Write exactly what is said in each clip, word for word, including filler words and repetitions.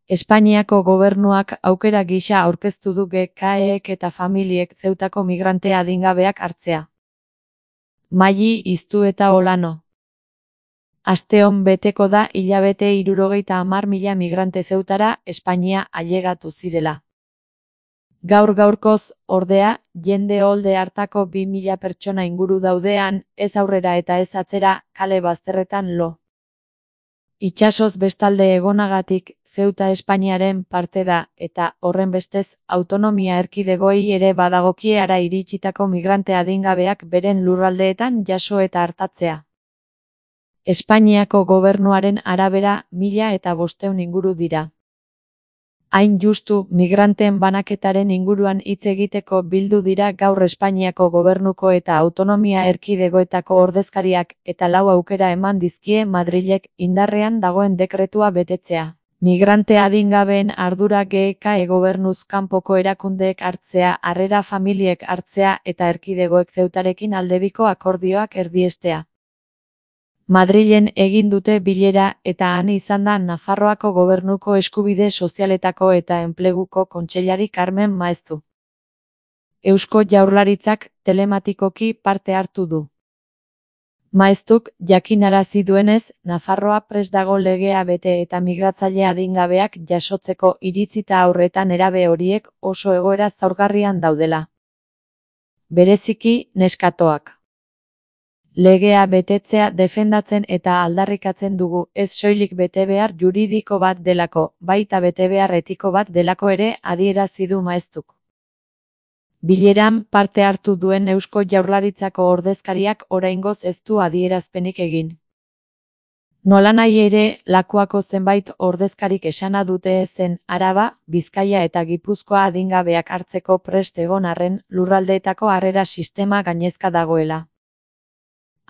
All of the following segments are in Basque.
Espainiako gobernuak aukera gisa aurkeztu du G K Ek eta familiek Zeutako migrante adingabeak hartzea. Maili Iztu eta Olano. Asteon beteko da hilabete hirurogeita hamar mila migrante Zeutara Espainia ailegatu zirela. Gaur gaurkoz, ordea, jende olde hartako bi mila pertsona inguru daudean, ez aurrera eta ez atzera, kale bazterretan lo. Itsasoz bestalde egonagatik, Zeuta Espainiaren parte da, eta, horrenbestez, autonomia erkidegoei ere badagokie hara iritsitako migrante adingabeak beren lurraldeetan jaso eta artatzea. Espainiako gobernuaren arabera, mila eta bosteun inguru dira. Hain justu, migranteen banaketaren inguruan hitz egiteko bildu dira gaur Espainiako gobernuko eta autonomia erkidegoetako ordezkariak eta lau aukera eman dizkie Madrilek indarrean dagoen dekretua betetzea. Migrante adingabeen ardura G K E gobernuz kanpoko erakundeek hartzea, harrera familiek hartzea eta erkidegoek Zeutarekin aldebiko akordioak erdiestea. Madrilen egin dute bilera eta han izan da Nafarroako gobernuko eskubide sozialetako eta enpleguko kontseilari Carmen Maeztu. Eusko Jaurlaritzak telematikoki parte hartu du. Maeztuk jakinarazi duenez, Nafarroa prest dago legea bete eta migratzaile adingabeak jasotzeko iritzita aurretan nerabe horiek oso egoera zaurgarrian daudela. Bereziki, neskatoak. Legea betetzea defendatzen eta aldarrikatzen dugu, ez soilik betebehar juridiko bat delako, baita betebehar etiko bat delako ere adierazi du Maeztuk. Bileran parte hartu duen Eusko Jaurlaritzako ordezkariak oraingoz ez du adierazpenik egin. Nolanahi ere, lakuako zenbait ordezkarik esana dute zen Araba, Bizkaia eta Gipuzkoa adingabeak hartzeko prest egon arren lurraldeetako harrera sistema gainezka dagoela.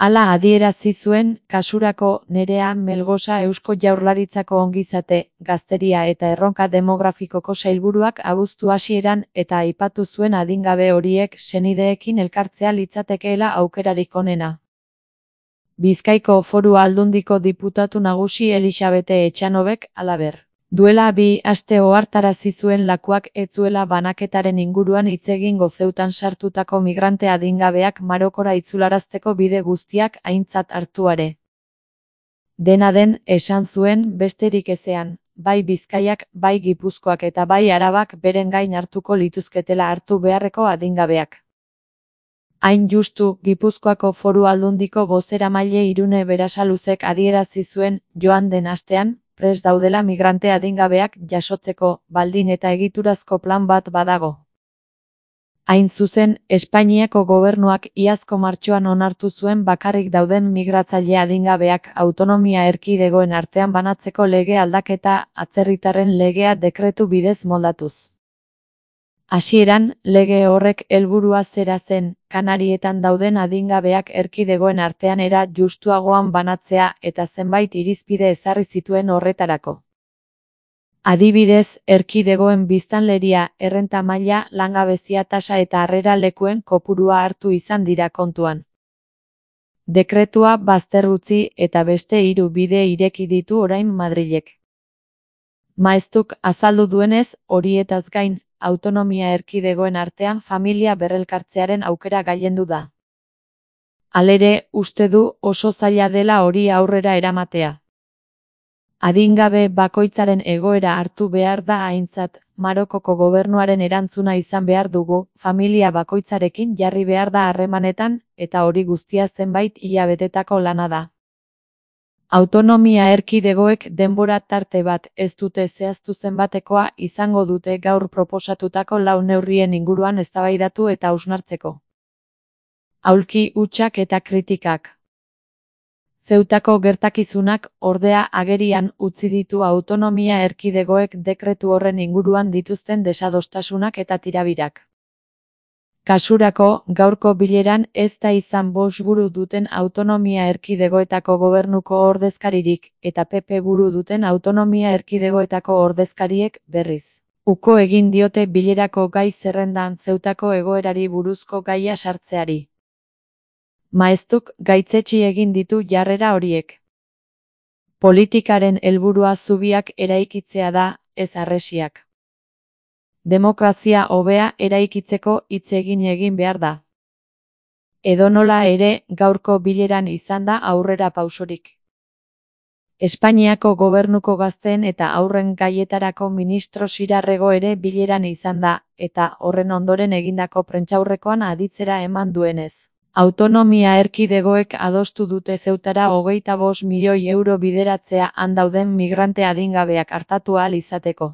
Hala adierazi zuen, kasurako Nerea Melgosa Eusko Jaurlaritzako ongizate, gazteria eta erronka demografikoko sailburuak abuztu hasieran eta aipatu zuen adingabe horiek senideekin elkartzea litzatekeela aukerarik onena. Bizkaiko Foru Aldundiko diputatu nagusi Elisabete Etxanobek, halaber. Duela bi aste ohartarazi zuen lakuak ez zuela banaketaren inguruan hitz egingo Zeutan sartutako migrante adingabeak Marokora itzularazteko bide guztiak aintzat hartuare. Dena den, esan zuen, besterik ezean, bai Bizkaiak, bai Gipuzkoak eta bai Arabak beren gain hartuko lituzketela hartu beharreko adingabeak. Hain justu, Gipuzkoako Foru Aldundiko bozeramaile Irune Berasaluzek adierazi zuen, joan den astean, prest daudela migrante adingabeak jasotzeko, baldin eta egiturazko plan bat badago. Hain zuzen, Espainiako gobernuak iazko martxoan onartu zuen bakarrik dauden migratzaile adingabeak autonomia erkidegoen artean banatzeko lege aldaketa atzerritarren legea dekretu bidez moldatuz. Hasieran, lege horrek helburua zera zen, Kanarietan dauden adingabeak erkidegoen artean era justuagoan banatzea eta zenbait irizpide ezarri zituen horretarako. Adibidez, erkidegoen biztanleria, errenta maila, langabezia tasa eta harrera lekuen kopurua hartu izan dira kontuan. Dekretua bazter utzi eta beste hiru bide ireki ditu orain Madrilek. Maeztuk azaldu duenez, horietaz gain, autonomia erkidegoen artean familia berrelkartzearen aukera gailendu da. Halere, uste du oso zaila dela hori aurrera eramatea. Adingabe bakoitzaren egoera hartu behar da aintzat, Marokoko gobernuaren erantzuna izan behar dugu, familia bakoitzarekin jarri behar da harremanetan, eta hori guztia zenbait hilabetetako lana da. Autonomia erkidegoek denbora tarte bat ez dute zehaztu zenbatekoa izango dute gaur proposatutako lau neurrien inguruan eztabaidatu eta hausnartzeko. Aulki hutsak eta kritikak. Zeutako gertakizunak, ordea, agerian utzi ditu autonomia erkidegoek dekretu horren inguruan dituzten desadostasunak eta tirabirak. Kasurako, gaurko bileran ez da izan bost buru duten autonomia erkidegoetako gobernuko ordezkaririk, eta P P buru duten autonomia erkidegoetako ordezkariek, berriz. Uko egin diote bilerako gai zerrendan Zeutako egoerari buruzko gaia sartzeari. Maeztuk gaitzetsi egin ditu jarrera horiek. Politikaren helburua zubiak eraikitzea da, ez harresiak. Demokrazia hobea eraikitzeko hitz egin egin behar da. Edonola ere, gaurko bileran izan da aurrera pausorik. Espainiako gobernuko gazteen eta haurren gaietarako ministro Xirarrego ere bileran izan da, eta horren ondoren egindako prentsaurrekoan aditzera eman duenez. Autonomia erkidegoek adostu dute Zeutara hogeita bost milioi euro bideratzea han dauden migrante adingabeak artatu ahal izateko.